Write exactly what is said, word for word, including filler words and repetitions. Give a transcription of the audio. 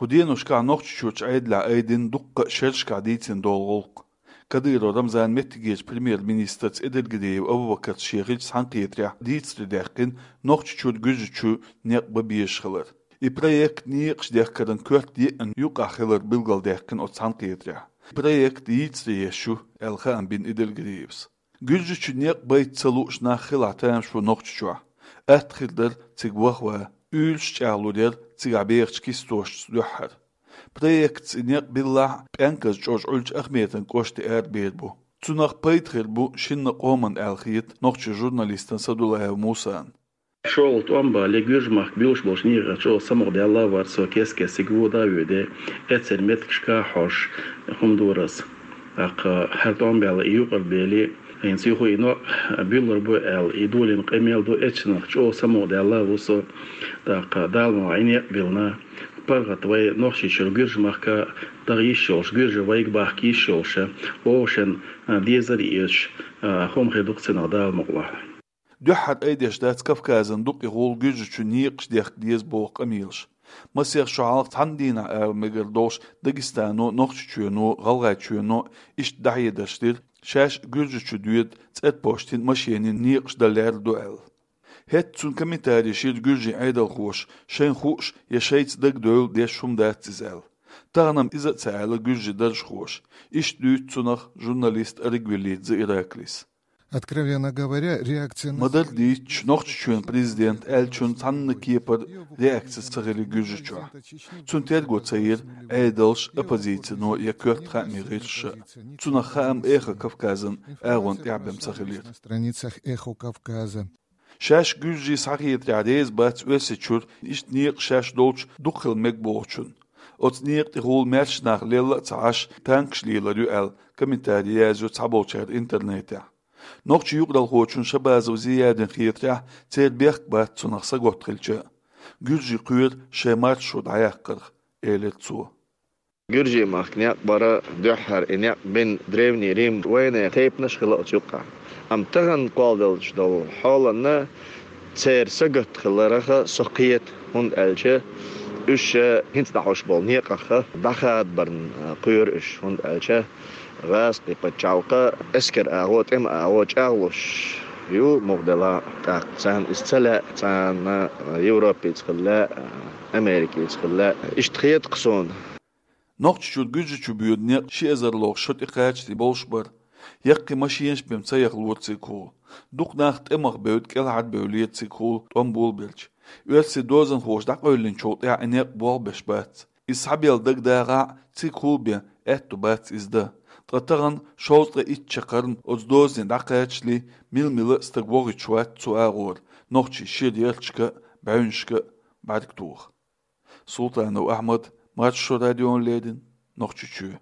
Кху деношкахь Нохчийчоьнан Ӏедалехь айдина дуккха а шерашкахь дийцина долу гӀуллакх. Кадыров Рамзанан меттигерчу премьер-министрца Эдельгериев Абубакарца шен хиллачу цхьаьнакхетарехь дийцаре даьккхина Нохчийчуьра Гуьржийчу некъ бан безаш хилар. И проект некъаш дехкаран коьрта еъна юкъахь хилар билгалдаьккхина оцу цхьаьнакхетарехь. Проект йийцаре еш ю, аьлла хаам бина Эдельгериевс. Гуьржийчу некъ байта ца лууш нах хилахь тамаш бу Нохчийчохь. Атта хир дара цига ваха ван, уьйлаш чӀагӀлур яра цигахь бехачу кистошца дуьххьара. Проектаца и некъ биллахь а, пӀенказ чӀожа Ӏуьллучу Ахметан кӀоштан арабер бу. Цунах пайда хир бу шинна къоман аьлла хета нохчийн журналистана Садулаев Мусана. ШолгӀа тӀом бале, Гуьржийн махка буьллуш болчу некъах чӀогӀа самукъадаьлла вара со, кест-кеста цига вода а воьду, эццеран меттигашка а хьожуш, хӀума дора ас. ТӀаккха хӀара тӀом баьлла и юкъара бели, хӀинца юха и некъ буьллур бу аьлла, и долийна къамел ду, эццерах чӀогӀа самукъадаьлла ву со. ТӀаккха Дала мукъ лахь и некъ биллина, паргӀат вай Нохчийчуьра Гуьржийн махка даха йиш йолуш, гуьржий вайга бахка йиш йолуш, вовшашна дезар а эцаш, хӀума хир ду-кх цунах, Дала мукъ лахь. Дуьххьара айдеш дац Кавказан дукъа гӀуллакх Гуьржийчу некъаш дехка деза боху къамелаш. Масех шо хьалха цхьана дийнахь ара мегар долуш Дагестано, Нохчийчоьно, ГӀалгӀайчоьно иштта дӀахьедарш дира, шаьш Гуьржийчу доьду цӀерпоштин, машенийн некъаш дан лаьрра ду аьлла. ХӀетахь цунна комментари йира гуьржийн Ӏедалхоша, шайна хууш я шайца дагадевлла деш хӀума дац иза аьлла. Тахана-м иза а ца аьлла гуьржийн даржхоша. Иштта дуьйцу цунах журналист Аргвелидзе Ираклис. Откровенно говоря, реакция на... Ма-дарра дийцича, Нохчийчоьнан президента аьллачун цхьанна кепара реакци ца хилира Гуьржийчохь. Цунна терго ца йира Ӏедалша, оппозицино я коьрта хаамийн гӀирсаша. Цунах хаам Эхо Кавказан агӀонна тӀехь бен ца хилира. На страницах Эхо Кавказа. Шаьш гуьржий схьахетарехь реза бац Оьрсийчуьра иштта некъаш шаьш долчу дукха хила мега бохучунна. Оцу некъа тӀехула маьрша нах лелла а ца Ӏаш, танкаш лелор ю аьлла, комментари язйо цхьаболчара интернетехь. Нохчийн юкъаралхочун Шабазов Зиядин хетарехь, церан бехк бац цунах сагатта хилча а. Гуьржий кхоьру шайн маршо дӀаяккхарх, элира цо. Гуьржийн махка некъ бара, дуьххьара и некъ бина Древний Рим вайнехан тайпанаш а хилла оцу юккъехь. Амма тахана кхолладелча долу хьолана церан сагатта хиларх со кхета, хӀунда аьлча уьш хӀинца дӀахьош болу некъах дӀахадабарна кхоьру уьш, хӀунда аьлча гӀазкхийн пачхьалкхан эскаран агӀо, тӀеман агӀо чӀагӀлуш ю муха делахь а, тӀаккха царна иза ца лаьа, царна Европица хила лаьа, Америкица хила лаьа. Иштта хета-кх суна. Нохчийчуьра Гуьржийчу боьду некъ ши эзарлгӀа шо тӀекхачале болуш бара. Яккхий машенаш бен ца яхалора цигахула. Дукха нах тӀемах бевдда кӀелхьарбевллера цигахула тӀом болабелча. Оьрсийн дозанхоша дӀакъевллинчул тӀаьхьа и некъ болх беш бац. Иза схьабелла дагадагӀахь а, цигахула бен аьтту бац иза дан. Ткъа тахана шовзткъе итт чаккхарма оцу дозане дӀакхачале, мила-мила а стаг вохуьйтуш вац цу агӀора, нохчийн шира ярташка а, бӀаьвнашка а бӀаьрг тоха. Султанов Ахьмад, Маршо радиона леррина, Нохчийчоь.